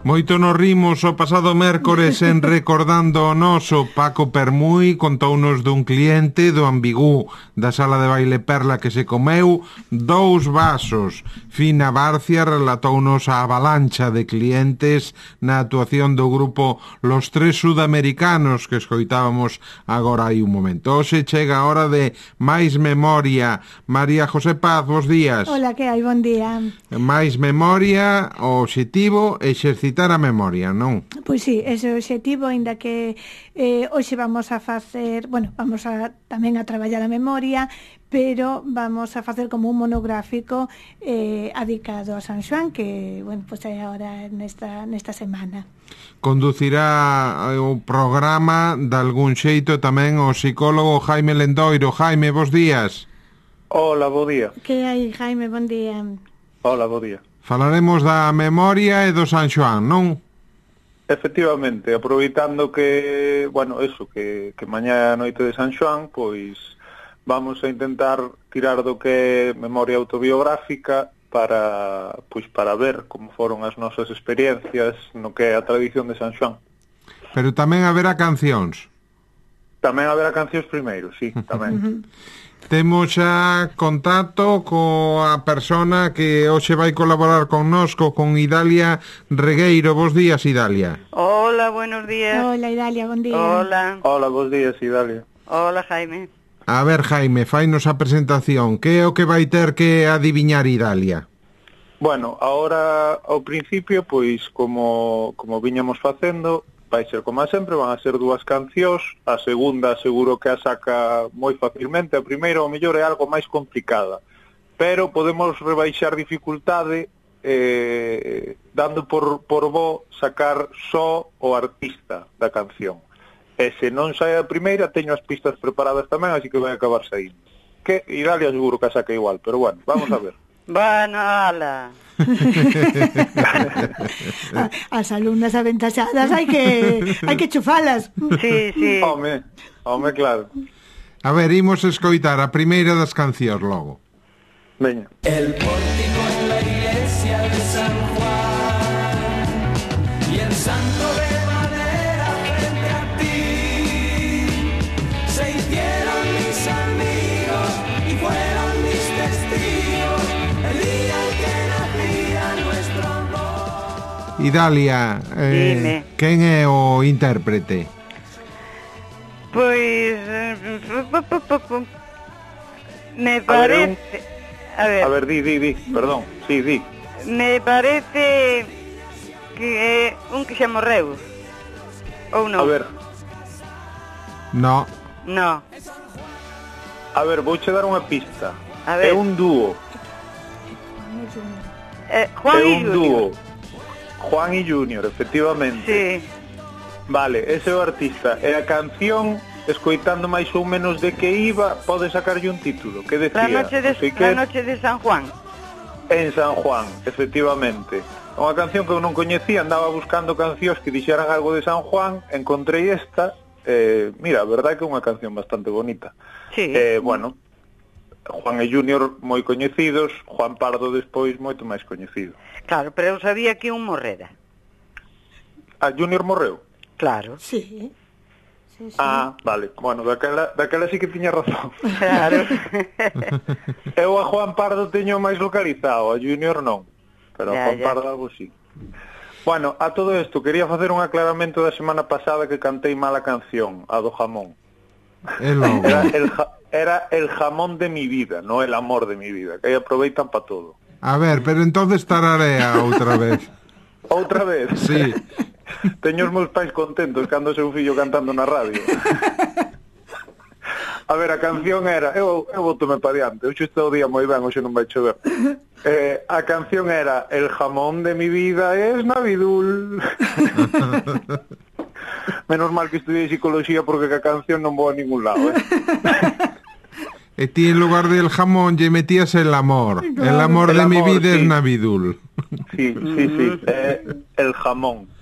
Moito nos rimos o pasado mércores en Recordando o Noso. Paco Permui contounos dun cliente do Ambigú da sala de baile Perla que se comeu 2 vasos. Fina Barcia relatounos a avalancha de clientes na actuación do grupo Los Tres Sudamericanos que escoitábamos agora hai un momento. Hoxe chega a hora de máis memoria. María José Paz, bos días. Hola, que hai? Bon día. Máis memoria, o obxectivo exercitar a memoria, non? Pois sí, ese é o obxectivo, aínda que hoxe vamos a facer, vamos a tamén a traballar a memoria, pero vamos a facer como un monográfico adicado a San Xoán, que, pois é agora nesta semana. Conducirá o programa de algún xeito tamén o psicólogo Jaime Lendoiro. Jaime, bos días. Hola, bo día. Que hai, Jaime? Bon día. Hola, bo día. Falaremos da memoria e do San Xoán, non? Efectivamente, aproveitando que, que mañá é a noite de San Xoán, pois vamos a intentar tirar do que é memoria autobiográfica para ver como foron as nosas experiencias no que é a tradición de San Xoán. Pero tamén haberá cancións. Tamén haberá cancións primeiro, sí, tamén. Temos xa contacto coa persona que hoxe vai colaborar connosco, con Idalia Regueiro. Bos días, Idalia. Hola, buenos días. Hola, Idalia, bon día. Hola. Hola, bos días, Idalia. Hola, Jaime. A ver, Jaime, fainos a presentación. Que é o que vai ter que adiviñar Idalia? Bueno, ahora ao principio, pois como viñamos facendo, vai ser como a sempre, van a ser 2 cancións. A segunda seguro que a saca moi facilmente. A primeira ao mellor é algo máis complicada, pero podemos rebaixar dificultade dando por bo sacar só o artista da canción. E se non sai a primeira, teño as pistas preparadas tamén, así que vai acabar saindo. Que Idalia seguro que a saca igual, pero vamos a ver. Bueno, ala. As alumnas aventaxadas hai que chufalas. Sí. Home, claro. A ver, imos escoitar a primeira das cancións logo. Veña. El pórtico en la iglesia de San Juan y el santo de madera frente a ti se hicieron mis amigos y fueron mis testigos el día en que nacía nuestro amor. Idalia, quen é o intérprete? Pois me parece... A ver, di, perdón, sí, di. Me parece que é un que xa morreu. Ou non? A ver. No. A ver, vouche dar unha pista. A ver. É un dúo. Juan é e un Junior. dúo. Juan e Junior, efectivamente. Sí. Vale, ese é o artista. E a canción, escoitando máis ou menos de que iba, pode sacarlle un título. Que decía? La noche de San Juan. En San Juan, efectivamente. Unha canción que eu non coñecía, andaba buscando cancións que dixeran algo de San Juan, encontrei esta, mira, a verdade que é unha canción bastante bonita. Sí. Juan e Junior moi coñecidos, Juan Pardo despois moito máis coñecido. Claro, pero eu sabía que un morrera. A Junior morreu? Claro. Sí. Ah, vale. Bueno, daquela sí que tiña razón. Claro. Eu a Juan Pardo teño máis localizado, a Junior non. Pero a Juan Pardo algo sí. Bueno, a todo isto, quería facer un aclaramento da semana pasada que cantei mal a canción, a do jamón. Era el jamón de mi vida, no el amor de mi vida, que aí aproveitan para todo. A ver, pero entonces tararea outra vez. Outra vez? Sí. Teño os meus pais contentos cando seu fillo cantando na radio. A ver, a canción era... Eu botome pa diante. Hoxe está o día moi ben, hoxe non vai chover. A canción era El jamón de mi vida es Navidul. Menos mal que estudiei psicología porque a canción non vou a ningún lado, E ti en lugar del jamón lle metías el amor. Claro. El amor de mi vida sí. Es Navidul. Sí. El jamón.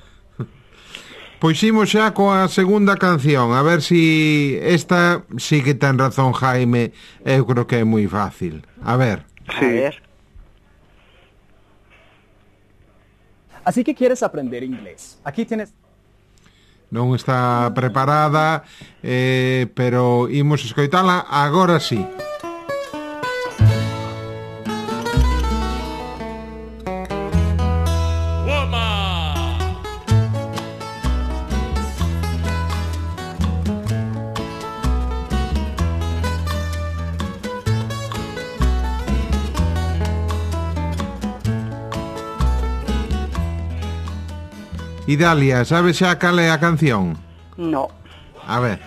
Pois imos xa coa segunda canción. A ver si esta sí que ten razón Jaime. Eu creo que é moi fácil. A ver. Sí. A ver. Así que quieres aprender inglés. Aquí tienes... Non está preparada, pero imos escoitala agora sí. Idalia, sabes xa cal é a canción? No. A ver.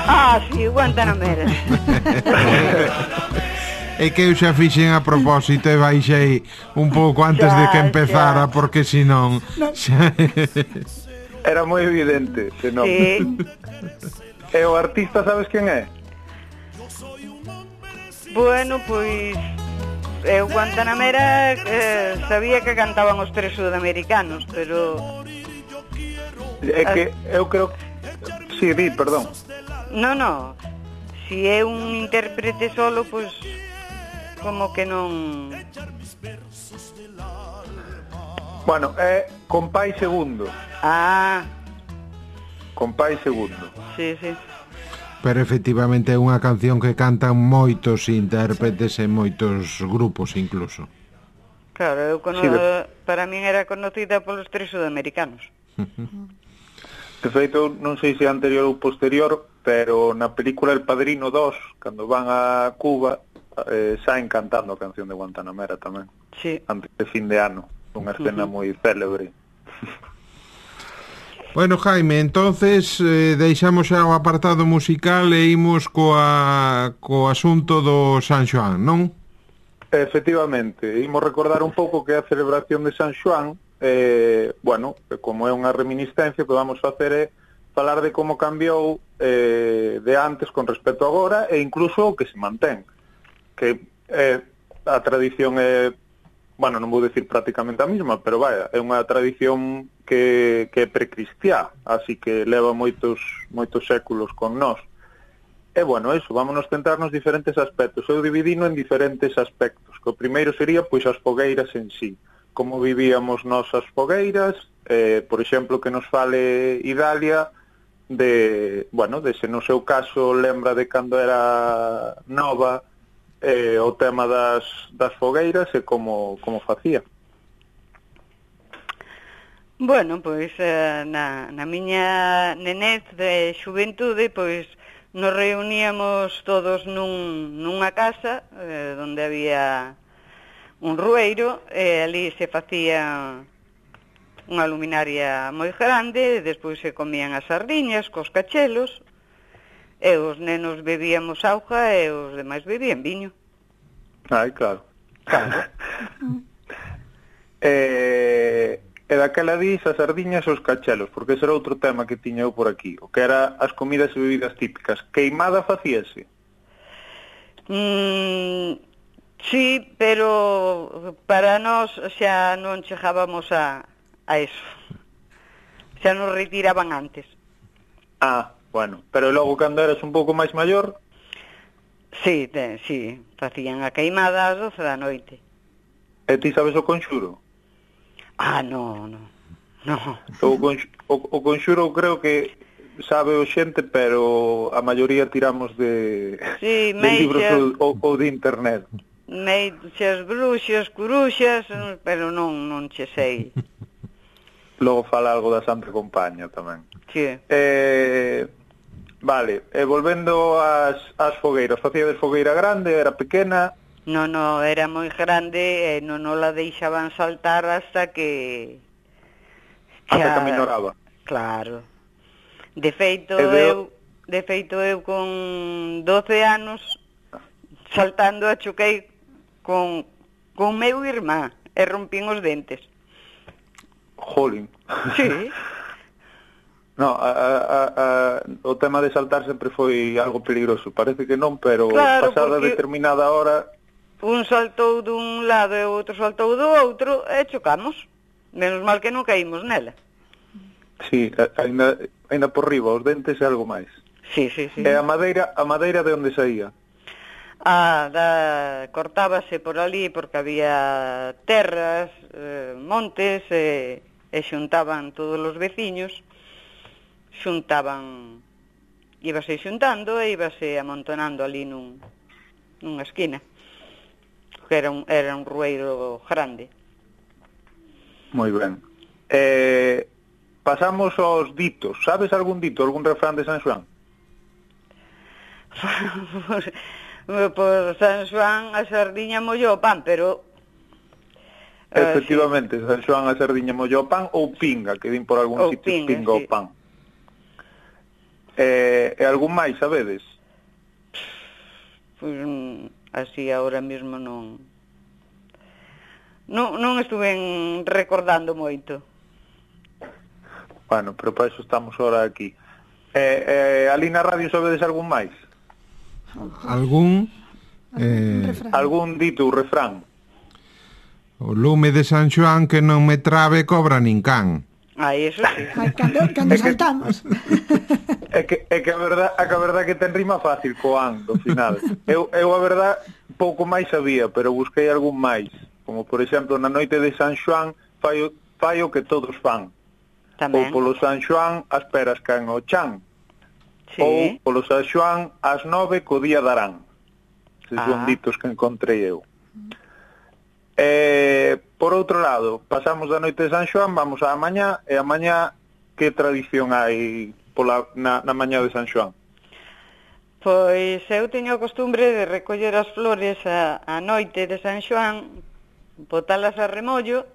Ah, sí, Guantanamera. É que eu xa fixen a propósito e baixei un pouco antes de que empezara, porque senón... Era moi evidente, senón. Sí. E o artista sabes quen é? Bueno, pois... Eu Guantanamera sabía que cantaban os tres sudamericanos, pero... É que eu creo... Sí, di, perdón. No. Si é un intérprete solo, pois... Como que non... Bueno, é Compay Segundo. Ah, Compay Segundo. sí. Pero efectivamente é unha canción que cantan moitos intérpretes e moitos grupos incluso. Claro, eu para min era conocida polos tres sudamericanos. De feito, non sei se é anterior ou posterior, pero na película El Padrino 2, cando van a Cuba, saen cantando a canción de Guantanamera tamén. Sí. Antes de fin de ano, unha escena moi célebre. Bueno, Jaime, entonces deixamos xa o apartado musical e imos co asunto do San Xoán, non? Efectivamente, imos recordar un pouco que é a celebración de San Xoán. Bueno, como é unha reminiscencia, o que vamos facer é falar de como cambiou de antes con respecto a agora e incluso o que se mantén, que a tradición é, bueno, non vou decir prácticamente a mesma, pero vaya, é unha tradición que é precristiá, así que leva moitos séculos con nós. E bueno, eso, vámonos centrar nos diferentes aspectos. Eu dividino en diferentes aspectos, que o primeiro sería pois as fogueiras en sí, como vivíamos nós as fogueiras, por exemplo, que nos fale Idalia de, bueno, de se no seu caso lembra de cando era nova o tema das fogueiras e como facía. Bueno, pois na miña nenez de xuventude, pois nos reuníamos todos nunha casa onde había un rueiro e ali se facía unha luminaria moi grande e despois se comían as sardiñas cos cachelos e os nenos bebíamos auga e os demais bebían viño. Ai, claro. E daquela dis as sardiñas e os cachelos, porque ese era outro tema que tiña eu por aquí, o que era as comidas e bebidas típicas. Queimada facíase? Sí, pero para nós xa non chegábamos a eso. Xa nos retiraban antes. Ah, bueno, pero logo cando eras un pouco máis maior? Sí, facían a queimada ás 12 da noite. E ti sabes o conxuro? Ah, no. O conxuro creo que sabe o xente, pero a maioría tiramos de libros ou de internet. Meixas, bruxas, curuxas, pero non che sei. Logo fala algo da Santa Compaña tamén. Sí. Vale, volvendo ás fogueiras, facíades fogueira grande, era pequena? No, era moi grande e non la deixaban saltar hasta que aminoraba. Claro. De feito eu con 12 anos saltando a choquei con meu irmán e rompín os dentes. Jolín. Sí. No, o tema de saltar sempre foi algo peligroso. Parece que non, pero claro, pasada determinada hora... Un saltou dun lado e o outro saltou do outro e chocamos. Menos mal que non caímos nela. Sí, ainda por riba, os dentes e algo máis. Sí. E a madeira de onde saía? Cortábase por ali porque había terras, montes, e xuntaban todos os veciños, íbase xuntando e íbase amontonando ali nunha esquina, que era un rueiro grande. Moi ben. Pasamos aos ditos. Sabes algún dito, algún refrán de San Xoán? Por San Xoán a sardiña mollou o pan, pero... Efectivamente, San Xoán a sardiña mollou o pan ou pinga, que din por algún sitio pinga o pan. E algún máis, sabedes? Pois así ahora mesmo non estuve recordando moito. Bueno, pero para eso estamos ahora aquí. Ali na radio sabedes algún máis? Algún Algún dito ou refrán? o lume de San Xoán que non me trabe cobra nin can. Eso sí. Ai, cando saltamos. É que a verdad que ten rima fácil co an do final. Eu a verdad pouco máis sabía, pero busquei algún máis, como por exemplo na noite de San Xoán fai o que todos fan. Tamén. Ou polo San Xoán as peras caen ao chan. Sí. Ou polo San Xoán ás 9 co día darán. Eses son ditos que encontrei eu. Por outro lado, pasamos da noite de San Xoán, vamos á mañá, e a mañá que tradición hai na mañá de San Xoán? Pois eu teño a costumbre de recoller as flores a noite de San Xoán, botalas a remollo,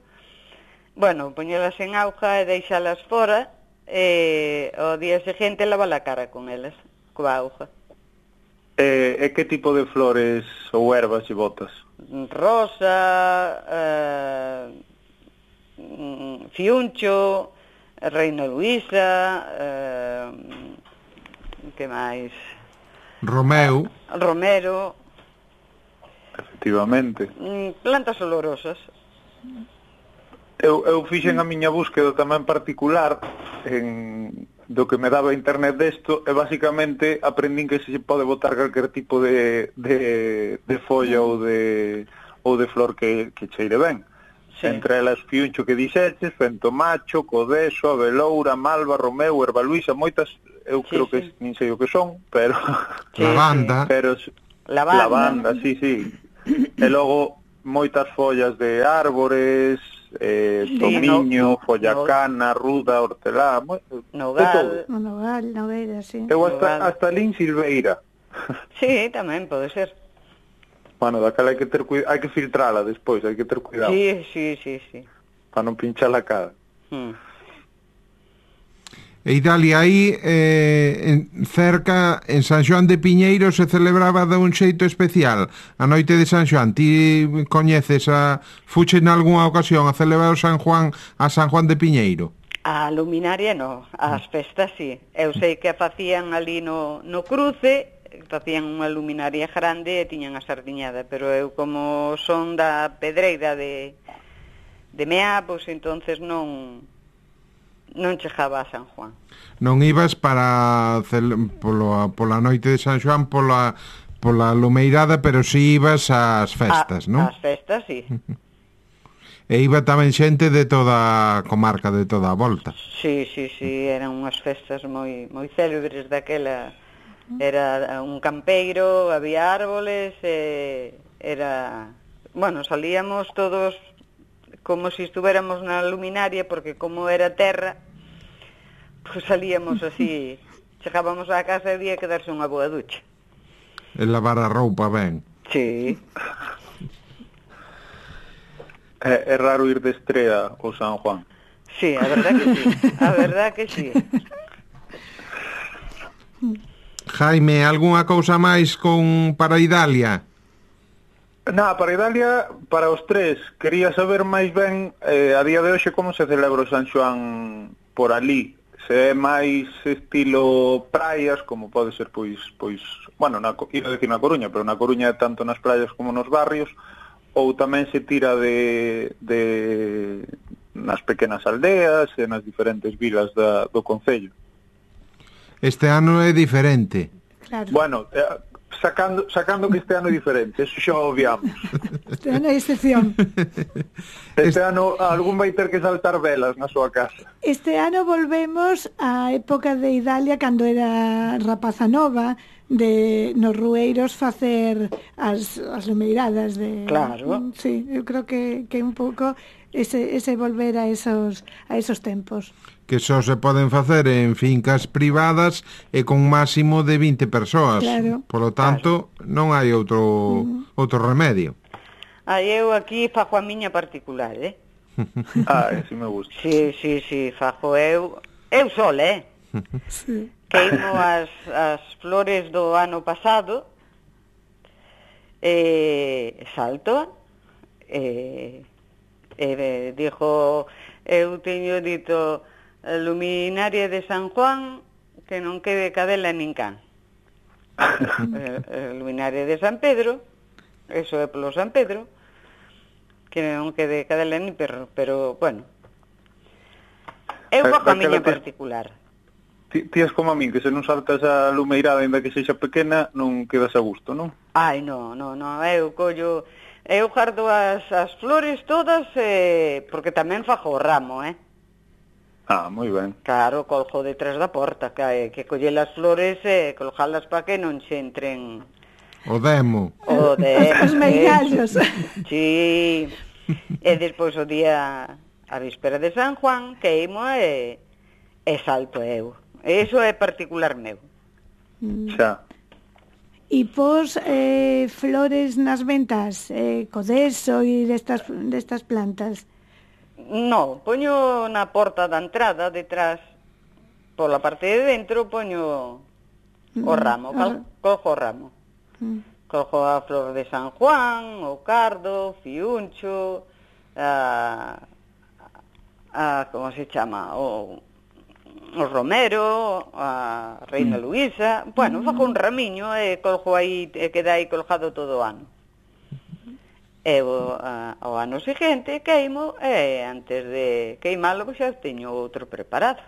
poñelas en auga e deixalas fora, e ao día seguinte lavar a cara con elas, coa auga. E que tipo de flores ou ervas e botas? Rosa, fiuncho, Reina Luisa, que máis? Romeu. Romero. Efectivamente. Plantas olorosas. Eu fixen a miña búsqueda tamén particular do que me daba internet desto, e basicamente aprendín que se pode botar calquer tipo de folla ou de flor que cheire ben. Sí. Entre elas fiuncho que dixeches, fentomacho, codeso, aveloura, malva, romeu, erva luisa, moitas, eu creo que nin sei o que son, pero... Lavanda. Pero lavanda, sí. E logo moitas follas de árbores, tomiño, follacana, ruda, hortelá, nogal, nogueira, sí. Eu hasta lin silveira. Sí, tamén pode ser. Bueno, daquela hai que ter hai que filtrala despois, hai que ter cuidado. Sí. Para non pinchar a cara. E Idalia, aí cerca, en San Xoán de Piñeiro, se celebraba de un xeito especial a noite de San Xoán. Ti coñeces fuche en algunha ocasión a celebrar San Juan de Piñeiro? A luminaria no, as festas sí. Eu sei que facían ali no cruce, facían unha luminaria grande e tiñan a sardiñada, pero eu como son da Pedreira de Meá, pois entonces non chegaba a San Juan. Non ibas pola noite de San Xoán pola lumeirada, pero si ibas ás festas, non? Ás festas, sí. E iba tamén xente de toda a comarca, de toda a volta. Sí, eran unhas festas moi célebres daquela. Era un campeiro, había árboles, salíamos todos como si estuviéramos na luminaria, porque como era terra, pues salíamos así, chegábamos á casa e había que darse unha boa ducha. E lavar a roupa ben. Sí. É raro ir de estrela ao San Juan. Sí, a verdad que sí. Jaime, algunha cousa máis para Idalia? Para Idalia, para os tres, quería saber máis ben a día de hoxe como se celebra o San Xoán por ali. Se é máis estilo praias, como pode ser pois iba a decir na Coruña, pero na Coruña é tanto nas praias como nos barrios, ou tamén se tira de nas pequenas aldeas e nas diferentes vilas do concello. Este ano é diferente. Claro. Bueno, sacando que este ano é diferente, eso xa o obviamos. Este ano é excepción. Este ano algún vai ter que saltar velas na súa casa. Este ano volvemos á época de Idalia, cando era rapaza nova, de nos rueiros facer as lumeiradas de... Claro. Sí, eu creo que un pouco ese volver a esos tempos. Que só se poden facer en fincas privadas e con máximo de 20 persoas. Claro. Polo tanto, non hai outro remedio. Eu aquí fago a miña particular, Ese me gusta. Sí, fago eu sol, Sí. Queimo as flores do ano pasado, salto, dixo, eu teño dito, luminaria de San Juan, que non quede cadela nin can. Luminaria de San Pedro, eso é polo San Pedro, que non quede cadela nin perro, pero, bueno, eu fago a miña particular. Ti és como a min, que se non saltas a lumeirada, ainda que sexa pequena, non quedas a gusto, non? Ai, non, eu collo... Eu guardo as flores todas, porque tamén fago o ramo, Moi ben. Claro, colgo detrás da porta, que colle as flores e colgalas para que non se entren... O demo. O demo. Os meigallos. Sí. E despois o día, a víspera de San Juan, queimo e salto eu. Eso é particular meu. Xa. E pos flores nas ventas, codeso e destas plantas. No, poño na porta da entrada, detrás, pola parte de dentro, poño o ramo, cojo o ramo. Cojo a flor de San Juan, o cardo, fiuncho, como se chama, o romero, a reina Luisa, bueno, fago un ramiño e colgo aí, e queda aí colgado todo o ano. E o ano seguinte queimo e antes de queimalo xa teño outro preparado.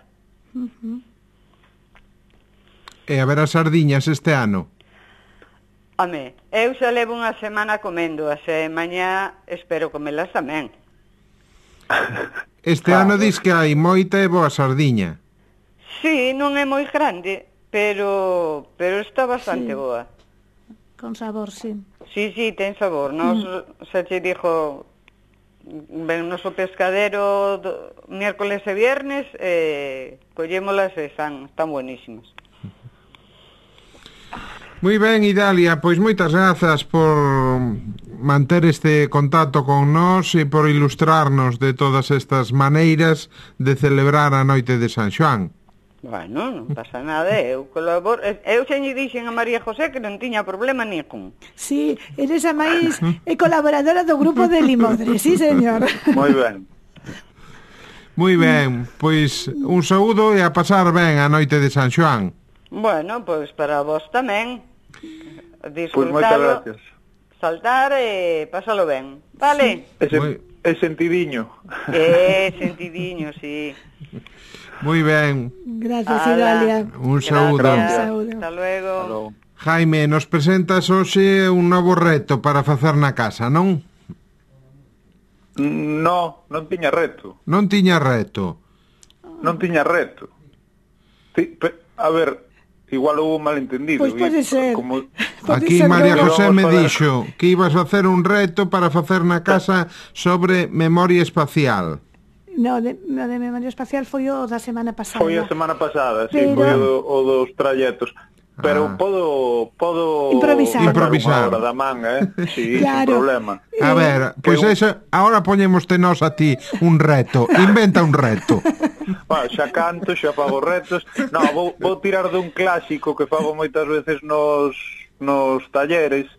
E a ver as sardiñas este ano? Home, eu xa levo unha semana comendo, e mañá espero comelas tamén. Este ano dis que hai moita e boa sardiña. Sí, non é moi grande, pero está bastante boa. Con sabor, sí. Sí, ten sabor. Nos, xa che dixo, ven noso pescadero miércoles e viernes, collémolas e están buenísimas. Moi ben, Idalia, pois moitas grazas por manter este contacto con nós e por ilustrarnos de todas estas maneiras de celebrar a noite de San Xoán. Bueno, non pasa nada, eu colaboro. Eu xa lle dixen a María José que non tiña problema ningún. Sí, eres a máis colaboradora do grupo de Limodre, sí, señor. Moi ben. Moi ben, pois un saúdo e a pasar ben a noite de San Xoán. Bueno, pois para vos tamén. Pois moitas gracias. Saltar e pásalo ben, vale? É sentidiño. Sentidiño, sí. Moi ben. Gracias, Idalia. Un saúdo. Hasta luego. Jaime, nos presentas hoxe un novo reto para facer na casa, non? Non tiña reto. Non tiña reto. Non tiña reto. A ver, igual houve un malentendido. Pois pode ser. Aquí María José me dixo que ibas a hacer un reto para facer na casa sobre memoria espacial. No, de memoria espacial foi o da semana pasada. Foi a semana pasada, sí, foi o dos trayectos. Pero podo improvisar unha hora da man, sí, claro. Sin problema. A ver, pois eso, ahora poñémoste nós a ti un reto. Inventa un reto. Bueno, xa canto, xa fago retos. No, vou tirar dun clásico que fago moitas veces nos talleres,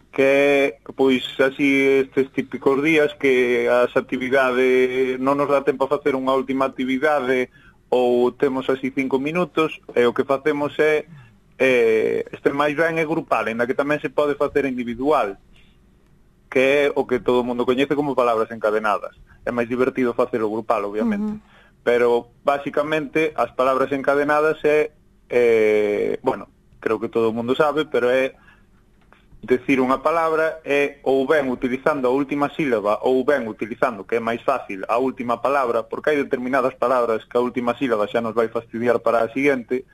que pois así estes típicos días que as actividades non nos dá tempo a facer unha última actividade ou temos así 5 minutos e o que facemos é este máis ben é grupal, en que tamén se pode facer individual, que é o que todo o mundo coñece como palabras encadenadas. É máis divertido facelo grupal, obviamente. Pero basicamente as palabras encadenadas é bueno, creo que todo o mundo sabe, pero é decir unha palabra é ou ben utilizando a última sílaba ou ben utilizando, que é máis fácil, a última palabra, porque hai determinadas palabras que a última sílaba xa nos vai fastidiar para a seguinte,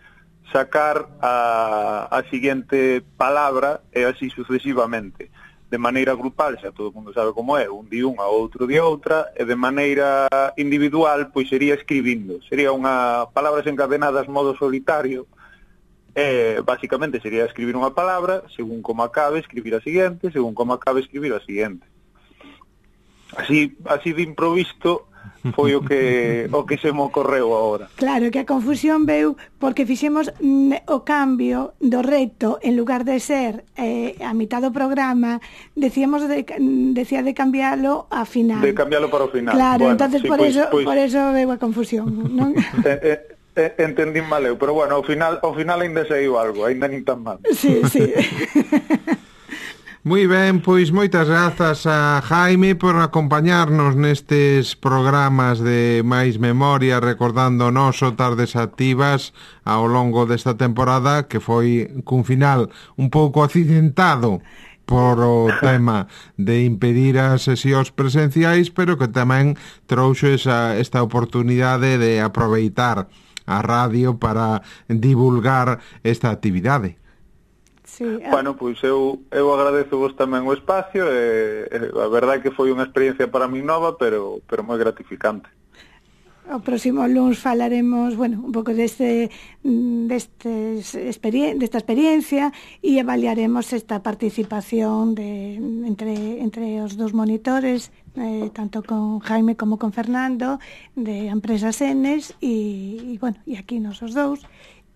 sacar a seguinte palabra e así sucesivamente. De maneira grupal, xa todo o mundo sabe como é, un di unha, outro di outra, e de maneira individual, pois sería escribindo. Sería unha palabras encadenadas modo solitario. Básicamente sería escribir unha palabra, según como acabe, escribir a seguinte, según como acabe, escribir a seguinte. Así de improvisto foi o que se me ocorreu agora. Claro, que a confusión veu porque fixemos o cambio do reto, en lugar de ser a mitad do programa, decía de cambiálo a final. De cambiálo para o final. Claro, bueno, entonces sí, por eso veu a confusión, non? Entendí mal eu, pero bueno, ao final ainda saiu algo, ainda nin tan mal. Sí. Moi ben, pois moitas grazas a Jaime por acompañarnos nestes programas de máis memoria, recordando o noso Tardes Activas ao longo desta temporada, que foi cun final un pouco accidentado por o tema de impedir as sesións presenciais, pero que tamén trouxo esta oportunidade de aproveitar a radio para divulgar esta actividade. Sí, Bueno, pois eu agradezo vos tamén o espacio e a verdade é que foi unha experiencia para mí nova, pero moi gratificante. O próximo luns falaremos, un pouco desta experiencia e avaliaremos esta participación entre os dos monitores, tanto con Jaime como con Fernando, de Empresas Enes e aquí nos os dous.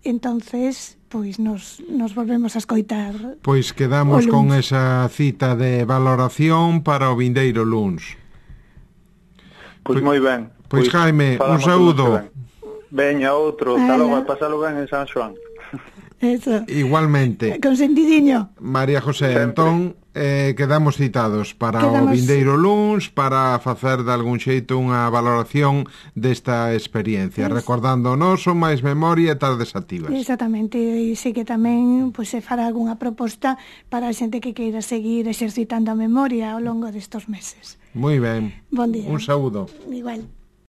Entonces, pois nos volvemos a escoitar. Pois quedamos con esa cita de valoración para o vindeiro luns. Pois moi ben. Pois Jaime, un saúdo. Veña, outro, hasta logo, pasalo ben en San Xoán. Eso. Igualmente. Con sentidiño. María José, entón quedamos citados para o vindeiro luns para facer de algún xeito unha valoración desta experiencia, recordando o noso máis memoria e Tardes Activas. Exactamente, e sei que tamén se fará algunha proposta para a xente que queira seguir exercitando a memoria ao longo destes meses. Moi ben. Bon día. Un saúdo. Igual.